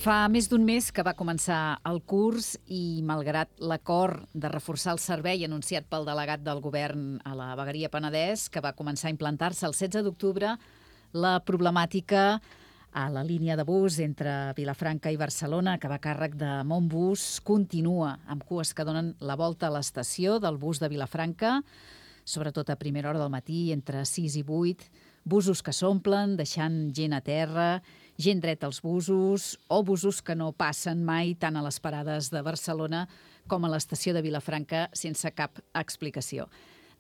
Fa més d'un mes que va començar el curs i, malgrat l'acord de reforçar el servei anunciat pel delegat del govern a la vegueria Penedès, que va començar a implantar-se el 16 d'octubre, la problemàtica a la línia de bus entre Vilafranca i Barcelona, que va a càrrec de Montbus, continua, amb cues que donen la volta a l'estació del bus de Vilafranca, sobretot a primera hora del matí, entre 6 i 8, busos que s'omplen, deixant gent a terra, gent dreta als busos, o busos que no passen mai tant a les parades de Barcelona com a l'estació de Vilafranca sense cap explicació.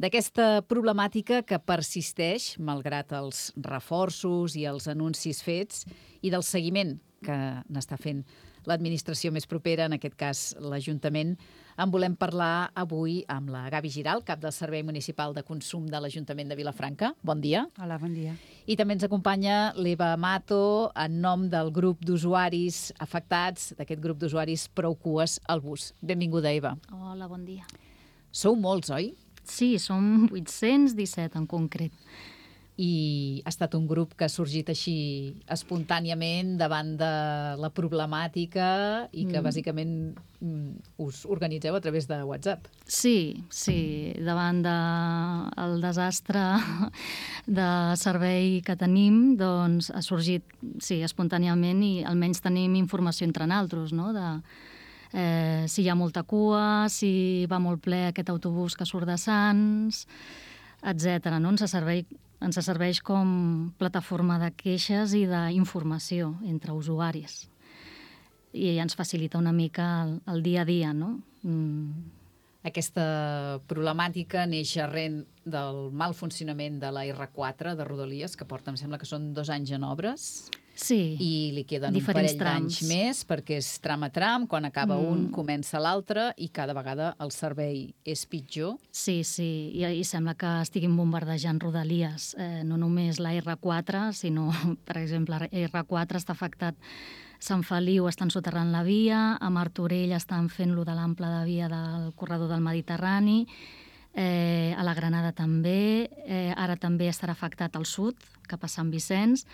D'aquesta problemàtica que persisteix, malgrat els reforços i els anuncis fets, i del seguiment que n'està fent l'administració més propera, en aquest cas l'Ajuntament, en volem parlar avui amb la Gavi Giral, cap del Servei Municipal de Consum de l'Ajuntament de Vilafranca. Bon dia. Hola, bon dia. I també ens acompanya l'Eva Mato, en nom del grup d'usuaris afectats, d'aquest grup d'usuaris Prou Cues al Bus. Benvinguda, Eva. Hola, bon dia. Sou molts, oi? Sí, som 817 en concret. I ha estat un grup que ha sorgit així espontàniament davant de la problemàtica i que bàsicament us organitzeu a través de WhatsApp. Sí, davant del desastre de servei que tenim, doncs ha sorgit espontàniament i almenys tenim informació entre naltros, no?, de si hi ha molta cua, si va molt ple aquest autobús que surt de Sants, etc. No? Ens serveix com plataforma de queixes i d'informació entre usuaris. I ens facilita una mica el dia a dia, no? Aquesta problemàtica neix arran del mal funcionament de la R4 de Rodalies, que porta, em sembla que són 2 anys en obres. Sí, I li queden diferents un parell d'anys més perquè és tram a tram, quan acaba un comença l'altre i cada vegada el servei és pitjor. Sí, i sembla que estiguin bombardejant Rodalies, no només la R4, sinó, per exemple, la R4 està afectat Sant Feliu, estan soterrant la via, a Martorell estan fent-lo de l'ample de via del corredor del Mediterrani, a la Granada també, ara també estarà afectat al sud, cap a Sant Vicenç.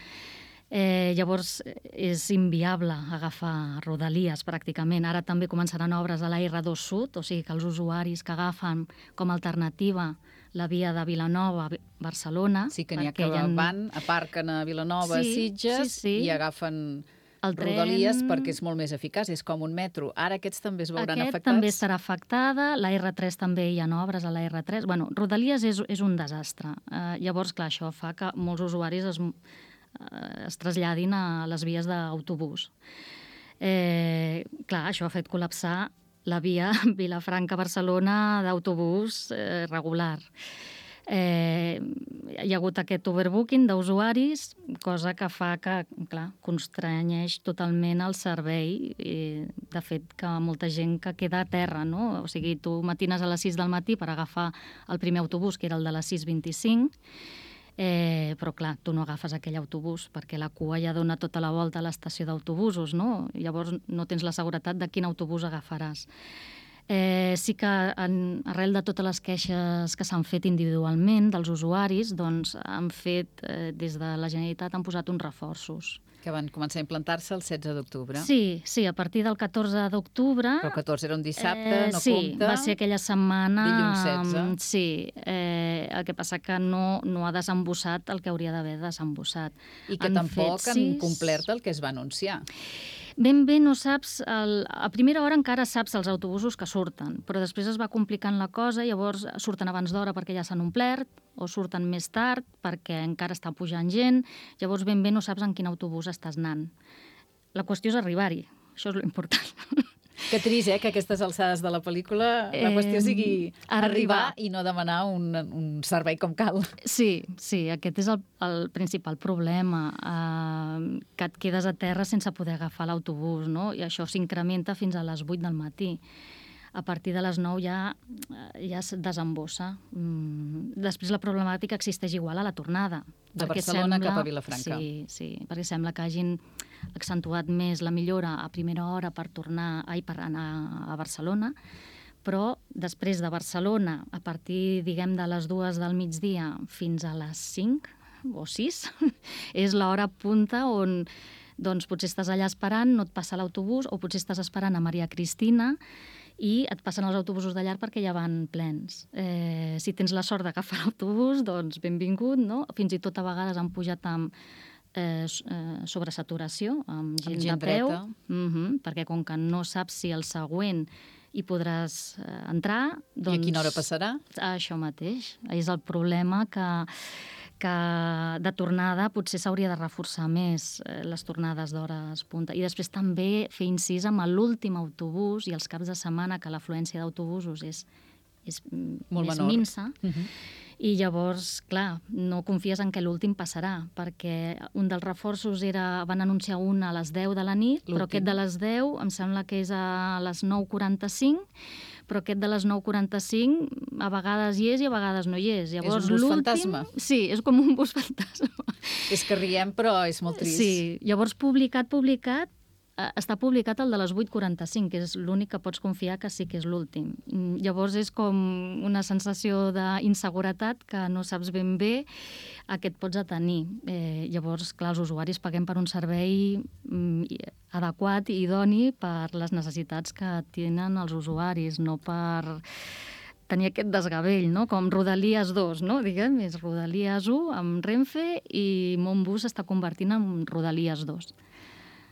Llavors és inviable agafar Rodalies pràcticament. Ara també començaran obres a la R2 Sud, o sigui que els usuaris que agafen com a alternativa la via de Vilanova a Barcelona... Sí, que n'hi ha que van, aparquen a Vilanova, Sitges, i agafen Rodalies perquè és molt més eficaç, és com un metro. Ara aquests també es veuran afectats? Aquest també estarà afectada, la R3 també hi ha obres a la R3. Bueno, Rodalies és un desastre. Llavors, clar, això fa que molts usuaris es traslladin a les vies d'autobús. Clar, això ha fet col·lapsar la via Vilafranca-Barcelona d'autobús regular. Hi ha hagut aquest overbooking d'usuaris, cosa que fa que, clar, constranyeix totalment el servei. De fet, que molta gent que queda a terra, no? O sigui, tu matines a les 6 del matí per agafar el primer autobús, que era el de les 6:25, però clar, tu no agafes aquell autobús perquè la cua ja dona tota la volta a l'estació d'autobusos, no? Llavors no tens la seguretat de quin autobús agafaràs. Sí que arrel de totes les queixes que s'han fet individualment dels usuaris, doncs han fet, des de la Generalitat, han posat uns reforços. Que van començar a implantar-se el 16 d'octubre. Sí, a partir del 14 d'octubre... Però el 14 era un dissabte, no compta? Sí, va ser aquella setmana... Dilluns 16. Sí, el que passa que no ha desembossat el que hauria d'haver desembossat. I que tampoc han complert el que es va anunciar. Ben bé no saps... A primera hora encara saps els autobusos que surten, però després es va complicant la cosa, llavors surten abans d'hora perquè ja s'han omplert, o surten més tard perquè encara està pujant gent, llavors ben bé no saps en quin autobús estàs anant. La qüestió és arribar-hi, això és l'important. Que trist, que a aquestes alçades de la pel·lícula la qüestió sigui arribar i no demanar un servei com cal. Sí, aquest és el principal problema, que et quedes a terra sense poder agafar l'autobús, no? I això s'incrementa fins a les 8 del matí. A partir de les 9 ja es desembossa. Després la problemàtica existeix igual a la tornada. De Barcelona cap a Vilafranca. Sí, perquè sembla que hagin accentuat més la millora a primera hora per anar a Barcelona, però després de Barcelona, a partir, diguem, de les 2 del migdia fins a les 5 o 6, és l'hora punta on Doncs potser estàs allà esperant, no et passa l'autobús, o potser estàs esperant a Maria Cristina i et passen els autobusos de llar perquè ja van plens. Si tens la sort d'agafar l'autobús, doncs benvingut, no? Fins i tot a vegades han pujat amb sobresaturació, amb gent de peu, perquè com que no saps si el següent hi podràs entrar... Doncs, i a quina hora passarà? Això mateix. És el problema que de tornada potser s'hauria de reforçar més les tornades d'hores punta. I després també fer incís amb l'últim autobús i els caps de setmana, que l'afluència d'autobusos és molt més menor. minsa. I llavors, clar, no confies en que l'últim passarà, perquè un dels reforços van anunciar un a les 10 de la nit, però aquest de les 10 em sembla que és a les 9:45, però aquest de les 9:45 a vegades hi és i a vegades no hi és. Llavors, és un bus fantasma. Sí, és com un bus fantasma. És que riem, però és molt trist. Sí, llavors publicat, està publicat el de les 8:45, que és l'únic que pots confiar que sí que és l'últim. Llavors és com una sensació d'inseguretat que no saps ben bé a què et pots atenir. Llavors, clar, els usuaris paguem per un servei adequat i idoni per les necessitats que tenen els usuaris, no per tenir aquest desgavell, no? Com Rodalies 2, no? Diguem, és Rodalies 1 amb Renfe i Montbus s'està convertint en Rodalies 2.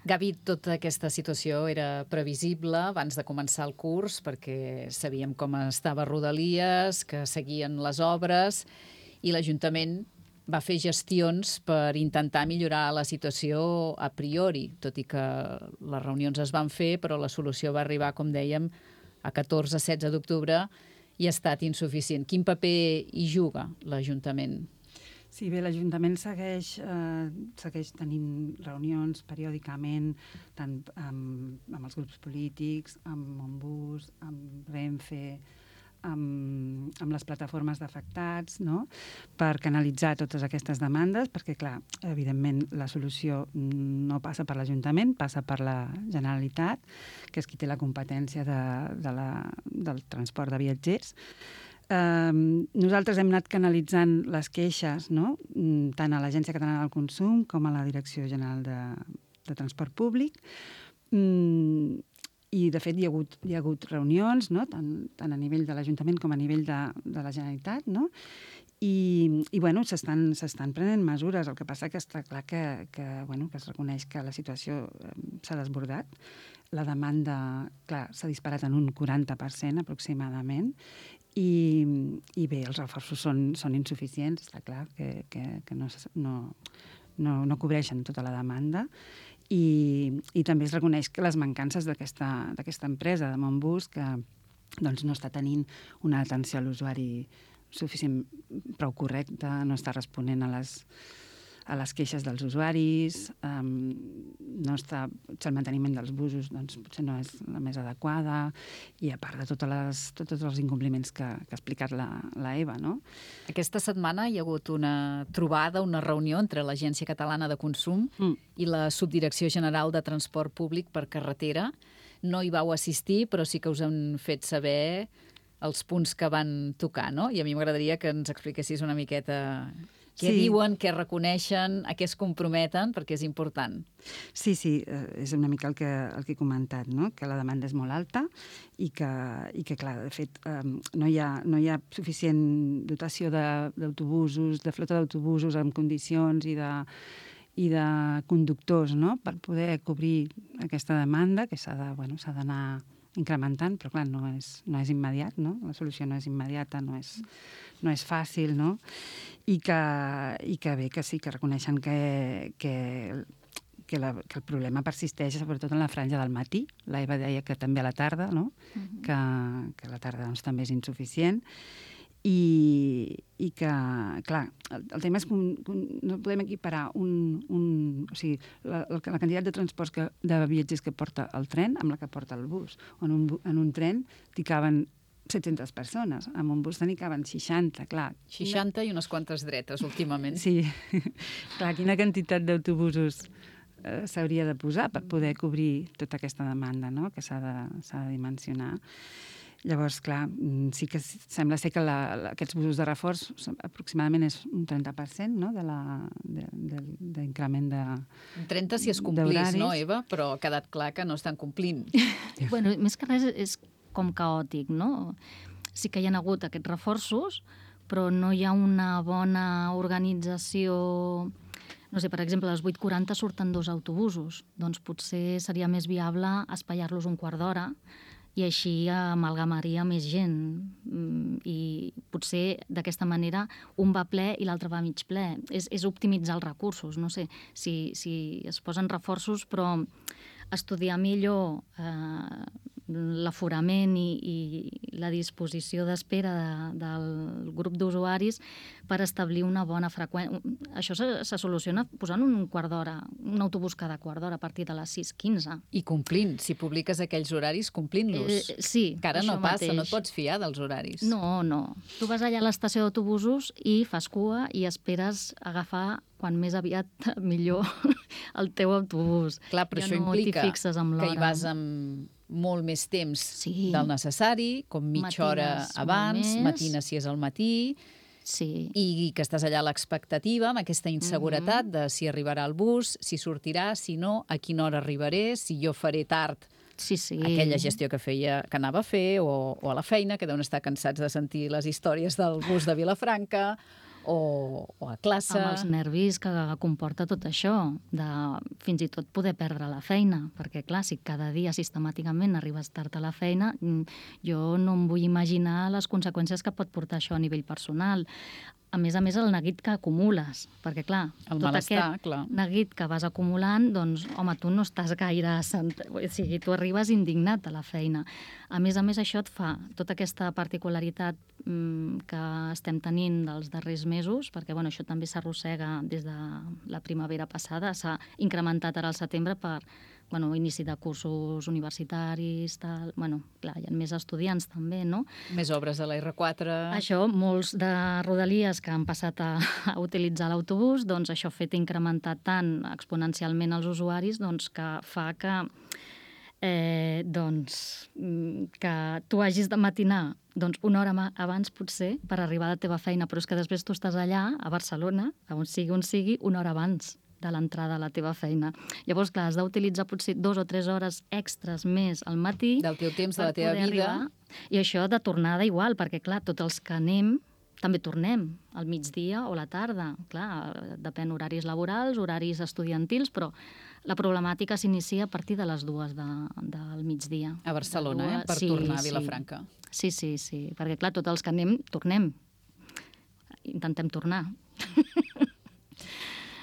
Gavi, tota aquesta situació era previsible abans de començar el curs perquè sabíem com estava Rodalies, que seguien les obres i l'Ajuntament va fer gestions per intentar millorar la situació a priori, tot i que les reunions es van fer, però la solució va arribar, com dèiem, a 14-16 d'octubre i ha estat insuficient. Quin paper hi juga l'Ajuntament? Sí, bé, l'Ajuntament segueix tenint reunions periòdicament, tant amb els grups polítics, amb Montbus, amb Renfe, amb les plataformes d'afectats, no? Per canalitzar totes aquestes demandes, perquè, clar, evidentment, la solució no passa per l'Ajuntament, passa per la Generalitat, que és qui té la competència del transport de viatgers. Nosaltres hem anat canalitzant les queixes, no? Tant a l'Agència Catalana del Consum com a la Direcció General de Transport Públic. I, de fet, hi ha hagut reunions, no? tant a nivell de l'Ajuntament com a nivell de la Generalitat, no? I bueno, s'estan prenent mesures. El que passa que està clar que es reconeix que la situació s'ha desbordat. La demanda, clar, s'ha disparat en un 40% aproximadament, i bé, els reforços són insuficients, està clar que no cobreixen tota la demanda, i també es reconeix que les mancances d'aquesta empresa de Montbus, que doncs, no està tenint una atenció a l'usuari prou correcta, no està responent a les queixes dels usuaris, el manteniment dels busos doncs, potser no és la més adequada, i a part de tots els incompliments que ha explicat la Eva, no? Aquesta setmana hi ha hagut una trobada, una reunió entre l'Agència Catalana de Consum i la Subdirecció General de Transport Públic per Carretera. No hi vau assistir, però sí que us han fet saber els punts que van tocar, no? I a mi m'agradaria que ens expliquessis una miqueta què diuen, què reconeixen, a què es comprometen, perquè és important. Sí, és una mica el que he comentat, no? Que la demanda és molt alta i que clar, de fet, no hi ha suficient dotació d'autobusos, de flota d'autobusos en condicions i de conductors, no? Per poder cobrir aquesta demanda, que s'ha d'anar incrementant, però clar, no és immediat, no? La solució no és immediata, no és fàcil, no? I que bé, que sí, que reconeixen que el problema persisteix sobretot en la franja del matí. La Eva deia que també a la tarda, no? Que a la tarda doncs, també és insuficient. I que, clar, el tema és que no podem equiparar o sigui, la quantitat de transports de viatgers que porta el tren amb la que porta el bus. En un tren t'hi caben 700 persones, amb un bus n'hi caben 60, clar. 60 i unes quantes dretes, últimament. Sí, clar, quina quantitat d'autobusos s'hauria de posar per poder cobrir tota aquesta demanda, no? Que s'ha de dimensionar. Llavors, clar, sí que sembla ser que aquests busos de reforç aproximadament és un 30%, no?, d'increment de Un 30 si es complís, no, Eva? Però ha quedat clar que no estan complint. Bueno, més que res és com caòtic, no? Sí que hi ha hagut aquests reforços, però no hi ha una bona organització. No sé, per exemple, a les 8:40 surten 2 autobusos. Doncs potser seria més viable espaiar-los un quart d'hora i així amalgamaria més gent. I potser d'aquesta manera un va ple i l'altre va mig ple. És optimitzar els recursos. No sé, si es posen reforços, però estudiar millor l'aforament i la disposició d'espera del grup d'usuaris per establir una bona freqüència. Això se soluciona posant un quart d'hora, un autobús cada quart d'hora a partir de les 6:15. I complint. Si publiques aquells horaris, complint-los. Sí, que ara no passa, mateix. no et pots fiar dels horaris. No. Tu vas allà a l'estació d'autobusos i fas cua i esperes agafar quan més aviat millor el teu autobús. Clar, però ja això no implica t'hi fixes amb l'hora. que hi vas amb molt més temps Sí. del necessari, com mitja hora Matines abans, molt més. matines si és al matí, Sí. i que estàs allà a l'expectativa, amb aquesta inseguretat de si arribarà el bus, si sortirà, si no, a quina hora arribaré, si jo faré tard Sí. aquella gestió que anava a fer, o a la feina, que deuen estar cansats de sentir les històries del bus de Vilafranca, o a classe. Amb els nervis que comporta tot això, de fins i tot poder perdre la feina, perquè clar, si cada dia sistemàticament arribes tard a la feina, jo no em vull imaginar les conseqüències que pot portar això a nivell personal. A més, el neguit que acumules, perquè clar, El tot malestar, aquest clar. neguit que vas acumulant, doncs, home, tu no estàs gaire... O sigui, tu arribes indignat a la feina. A més, això et fa tota aquesta particularitat que estem tenint dels darrers mesos, perquè bueno, això també s'arrossega des de la primavera passada, s'ha incrementat ara al setembre per inici de cursos universitaris, tal. Bueno, clar, hi ha més estudiants també, no? Més obres de la R4. Això, molts de rodalies que han passat a utilitzar l'autobús, doncs això ha fet incrementar tant exponencialment els usuaris, doncs que fa que que tu hagis de matinar una hora abans potser per arribar a la teva feina, però és que després tu estàs allà, a Barcelona, on sigui, una hora abans de l'entrada a la teva feina. Llavors, clar, has d'utilitzar potser 2 o 3 hores extres més al matí del teu temps, de la teva vida. Arribar. I això de tornada igual, perquè clar, tots els que anem també tornem al migdia o a la tarda. Clar, depèn horaris laborals, horaris estudiantils, però la problemàtica s'inicia a partir de les 2 del migdia. A Barcelona, per tornar a Vilafranca. Sí, perquè clar, tots els que anem, tornem. Intentem tornar.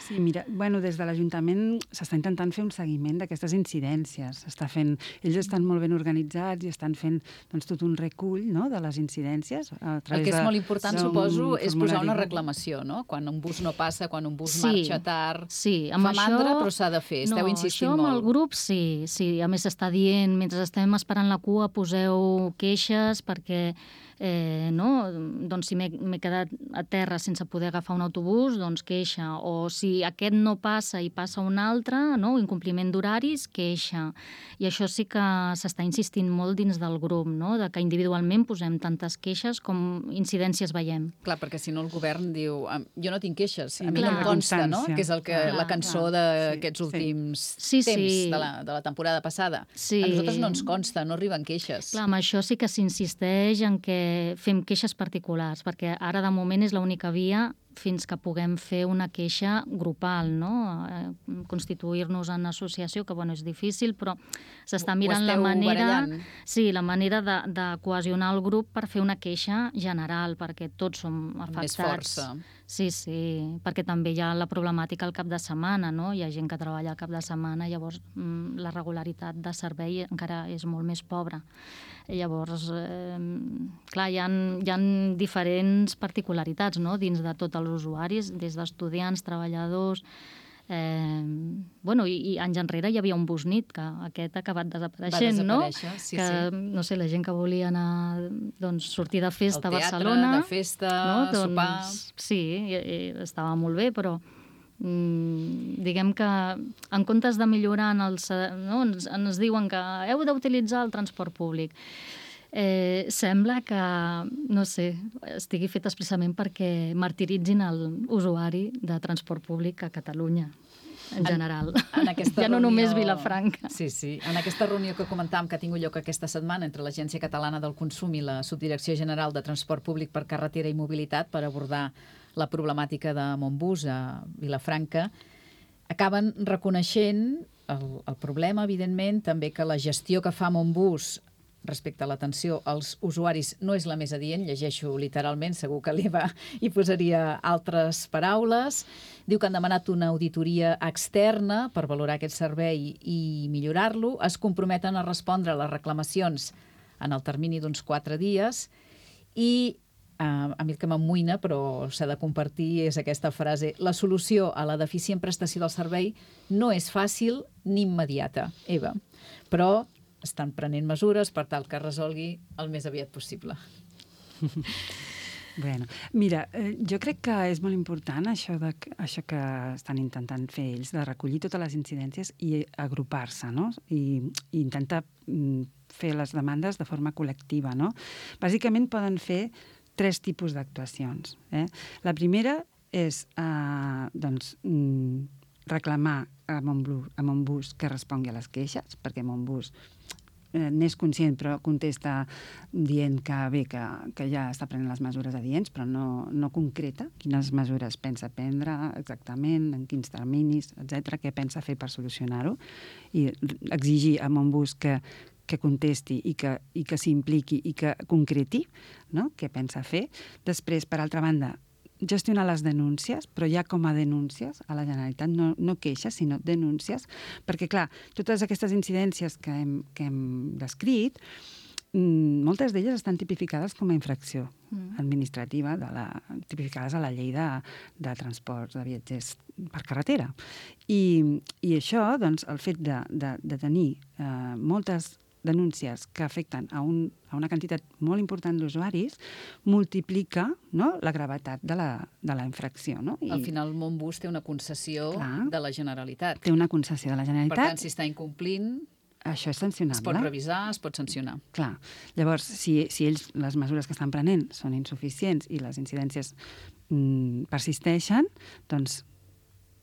Sí, mira, des de l'Ajuntament s'està intentant fer un seguiment d'aquestes incidències. Ells estan molt ben organitzats i estan fent tot un recull, no?, de les incidències. El que és molt important, suposo, és posar una reclamació, no? Quan un bus no passa, quan un bus marxa tard. Sí, fa mandra, però s'ha de fer. Esteu insistint molt. Això amb el grup, sí. A més, s'està dient, mentre estem esperant la cua, poseu queixes perquè si m'he quedat a terra sense poder agafar un autobús, doncs queixa. O si aquest no passa i passa un altre, incompliment d'horaris, queixa. I això sí que s'està insistint molt dins del grup, de que individualment posem tantes queixes com incidències veiem. Clar, perquè si no el govern diu jo no tinc queixes, a mi no em consta, no? Que és la cançó d'aquests últims temps de la temporada passada. A nosaltres no ens consta, no arriben queixes. Clar, amb això sí que s'insisteix en que fem queixes particulars, perquè ara de moment és l'única via fins que puguem fer una queixa grupal, no? Constituir-nos en associació, que és difícil, però s'està mirant la manera... Sí, la manera de cohesionar el grup per fer una queixa general, perquè tots som afectats. Amb més força. Sí, perquè també hi ha la problemàtica al cap de setmana, no? Hi ha gent que treballa al cap de setmana, llavors la regularitat de servei encara és molt més pobra. Llavors, clar, hi ha diferents particularitats, no?, dins de tots els usuaris, des d'estudiants, treballadors... I anys enrere hi havia un Busnit, que aquest ha acabat desapareixent, no? Va desaparèixer, sí. No sé, la gent que volia anar, sortir de festa a Al Barcelona... teatre, de festa, sopar... Sí, estava molt bé, però diguem que en comptes de millorar ens diuen que heu d'utilitzar el transport públic. Sembla que, no sé, estigui fet expressament perquè martiritzin l'usuari de transport públic a Catalunya, en general. En aquesta ja no reunió... només Vilafranca. Sí. En aquesta reunió que comentàvem que ha tingut lloc aquesta setmana entre l'Agència Catalana del Consum i la Subdirecció General de Transport Públic per Carretera i Mobilitat per abordar la problemàtica de Montbus a Vilafranca, acaben reconeixent el problema, evidentment, també que la gestió que fa Montbus respecte a l'atenció als usuaris no és la més adient, llegeixo literalment, segur que l'Eva hi posaria altres paraules. Diu que han demanat una auditoria externa per valorar aquest servei i millorar-lo. Es comprometen a respondre a les reclamacions en el termini d'uns 4 dies i a mi el que m'amoïna, però s'ha de compartir, és aquesta frase: la solució a la deficient prestació del servei no és fàcil ni immediata, Eva, però estan prenent mesures per tal que resolgui el més aviat possible. Bueno, mira, jo crec que és molt important això que estan intentant fer ells, de recollir totes les incidències i agrupar-se, no? I intentar fer les demandes de forma col·lectiva, no? Bàsicament poden fer 3 tipus d'actuacions. La primera és reclamar a Montbus que respongui a les queixes, perquè Montbus n'és conscient, però contesta dient que ja està prenent les mesures adients, però no concreta quines mesures pensa prendre exactament, en quins terminis, etc., què pensa fer per solucionar-ho, i exigir a Montbus que contesti i que s'impliqui i que concreti, no?, què pensa fer. Després, per altra banda, gestionar les denúncies, però ja com a denúncies a la Generalitat, no queixes, sinó denúncies, perquè, clar, totes aquestes incidències que hem descrit, moltes d'elles estan tipificades com a infracció administrativa, tipificades a la llei de transports de viatgers per carretera. I això, doncs, el fet de tenir moltes denúncies que afecten a una quantitat molt important d'usuaris multiplica, no?, la gravetat de la infracció. No? Al final, Montbus té una concessió de la Generalitat. Té una concessió de la Generalitat. Per tant, si està incomplint, això és sancionable. es pot revisar, es pot sancionar. Clar. Llavors, si ells, les mesures que estan prenent són insuficients i les incidències persisteixen, doncs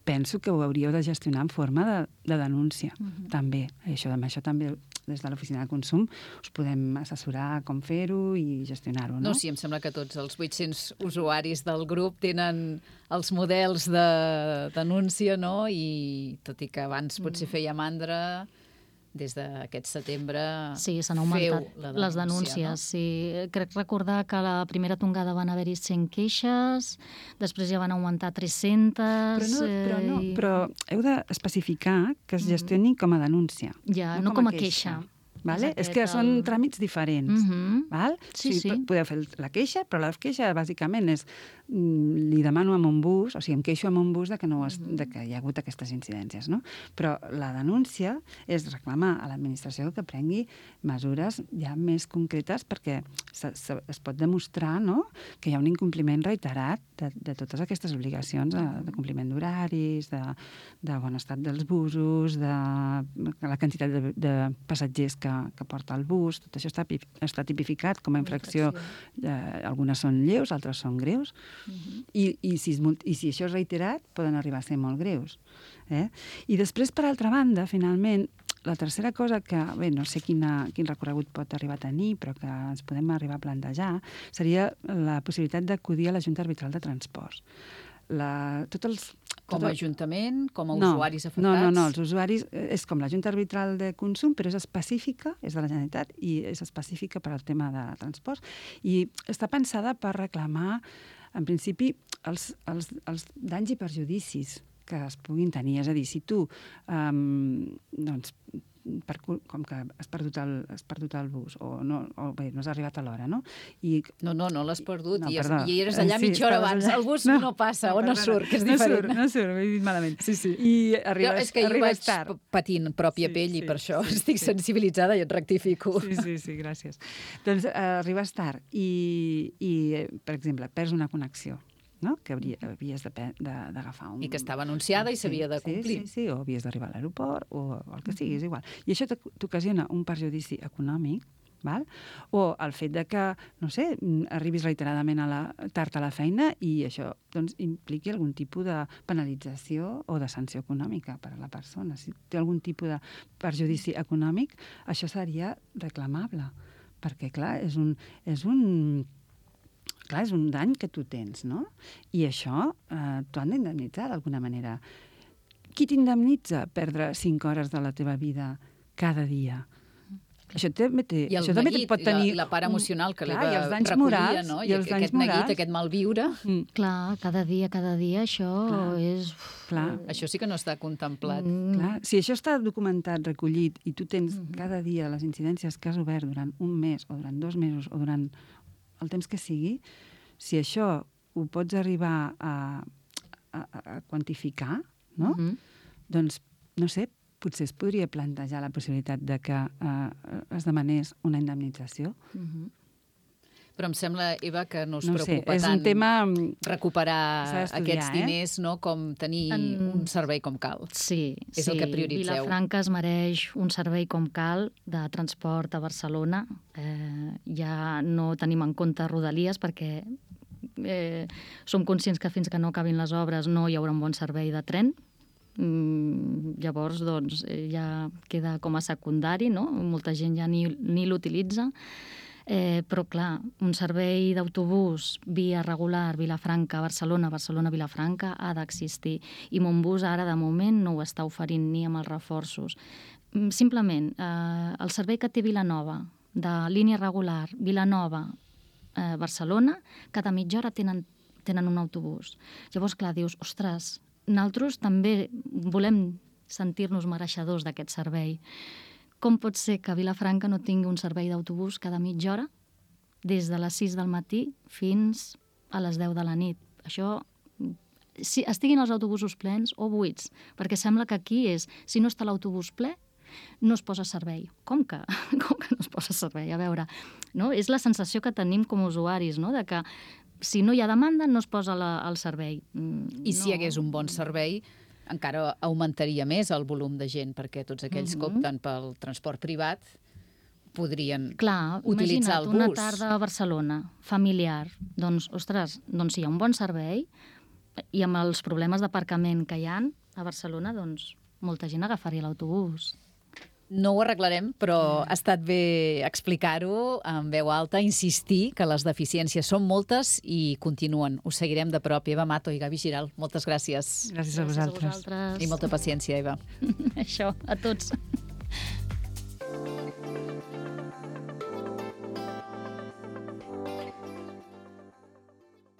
penso que ho hauríeu de gestionar en forma de denúncia, també. Això també, des de l'Oficina de Consum, us podem assessorar com fer-ho i gestionar-ho, no? No, sí, em sembla que tots els 800 usuaris del grup tenen els models de denúncia, no? I tot i que abans potser feia mandra, des d'aquest setembre sí, s'han augmentat les denúncies. No? Sí. Crec recordar que a la primera tongada van haver-hi 100 queixes, després ja van augmentar 300... Però heu d'especificar que es gestioni com a denúncia. Ja, no com a queixa. Vale? És que són tràmits diferents. Val? Sí. Podeu fer la queixa, però la queixa bàsicament és li demano a Montbus, o sigui, em queixo a Montbus de que hi ha hagut aquestes incidències, no? Però la denúncia és reclamar a l'administració que prengui mesures ja més concretes perquè es pot demostrar, no?, que hi ha un incompliment reiterat de totes aquestes obligacions de compliment d'horaris, de bon estat dels busos, de la quantitat de passatgers que porta el bus. Tot això està tipificat com a infracció. Algunes són lleus, altres són greus. I si això és reiterat, poden arribar a ser molt greus. I després, per altra banda, finalment, la tercera cosa que, bé, no sé quin recorregut pot arribar a tenir, però que ens podem arribar a plantejar, seria la possibilitat d'acudir a la Junta Arbitral de Transports. Com a ajuntament, com a usuaris afectats? No, els usuaris és com la Junta Arbitral de Consum, però és específica, és de la Generalitat, i és específica per al tema de transports, i està pensada per reclamar, en principi, els danys i perjudicis que es puguin tenir. És a dir, si tu, doncs, com que has perdut el bus o bé, no has arribat a l'hora, no? No l'has perdut i eres allà mitja hora abans. El bus no passa o no surt, que és diferent. No surt, he dit malament. Sí. I arribes tard. És que jo vaig patint pròpia pell i per això estic sensibilitzada i et rectifico. Sí, gràcies. Doncs arribes tard i, per exemple, perds una connexió, no?, que havies d'agafar un... I que estava anunciada i s'havia de complir. Sí, o havies d'arribar a l'aeroport o el que sigui, és igual. I això t'ocasiona un perjudici econòmic, Val? O el fet de que, no sé, arribis reiteradament tard a la feina i això doncs, impliqui algun tipus de penalització o de sanció econòmica per a la persona. Si té algun tipus de perjudici econòmic, això seria reclamable, perquè, clar, és un dany que tu tens, no? I això t'ho han d'indemnitzar d'alguna manera. Qui t'indemnitza perdre 5 hores de la teva vida cada dia? Això també I el neguit, pot tenir la part emocional que l'Eva recollia, no? I aquest neguit, aquest malviure. Clar, cada dia, això és... Clar. Això sí que no està contemplat. Clar. Si això està documentat, recollit, i tu tens cada dia les incidències que has obert durant un mes, o durant 2 mesos, o durant el temps que sigui, si això ho pots arribar a quantificar, no? Doncs, no sé, potser es podria plantejar la possibilitat de que es demanés una indemnització. Però em sembla, Eva, que no us preocupa és tant un tema recuperar aquests diners, no? Com tenir un servei com cal. Sí, és el que prioritzeu. Vilafranca es mereix un servei com cal de transport a Barcelona. Ja no tenim en compte Rodalies perquè som conscients que fins que no acabin les obres no hi haurà un bon servei de tren. Llavors, doncs, ja queda com a secundari, no? Molta gent ja ni l'utilitza. Però, clar, un servei d'autobús via regular, Vilafranca, Barcelona, Barcelona-Vilafranca, ha d'existir. I Montbus ara, de moment, no ho està oferint ni amb els reforços. Simplement, el servei que té Vilanova, de línia regular, Vilanova, Barcelona, cada mitja hora tenen un autobús. Llavors, clar, dius, ostres, nosaltres també volem sentir-nos mereixedors d'aquest servei. Com pot ser que Vilafranca no tingui un servei d'autobús cada mitja hora des de les 6 del matí fins a les 10 de la nit? Això, si estiguin els autobusos plens o buits, perquè sembla que aquí és, si no està l'autobús ple, no es posa servei. Com que no es posa servei? A veure, no? És la sensació que tenim com a usuaris, no? De que si no hi ha demanda, no es posa el servei. I si hi hagués un bon servei, encara augmentaria més el volum de gent, perquè tots aquells que opten pel transport privat podrien utilitzar el bus. Una tarda a Barcelona, familiar, doncs, ostres, doncs si hi ha un bon servei i amb els problemes d'aparcament que hi ha a Barcelona, doncs molta gent agafaria l'autobús. No ho arreglarem, però ha estat bé explicar-ho en veu alta, insistir que les deficiències són moltes i continuen. Ho seguirem de prop. Eva Mato i Gavi Giral, moltes gràcies. Gràcies a vosaltres. I molta paciència, Eva. Això, a tots.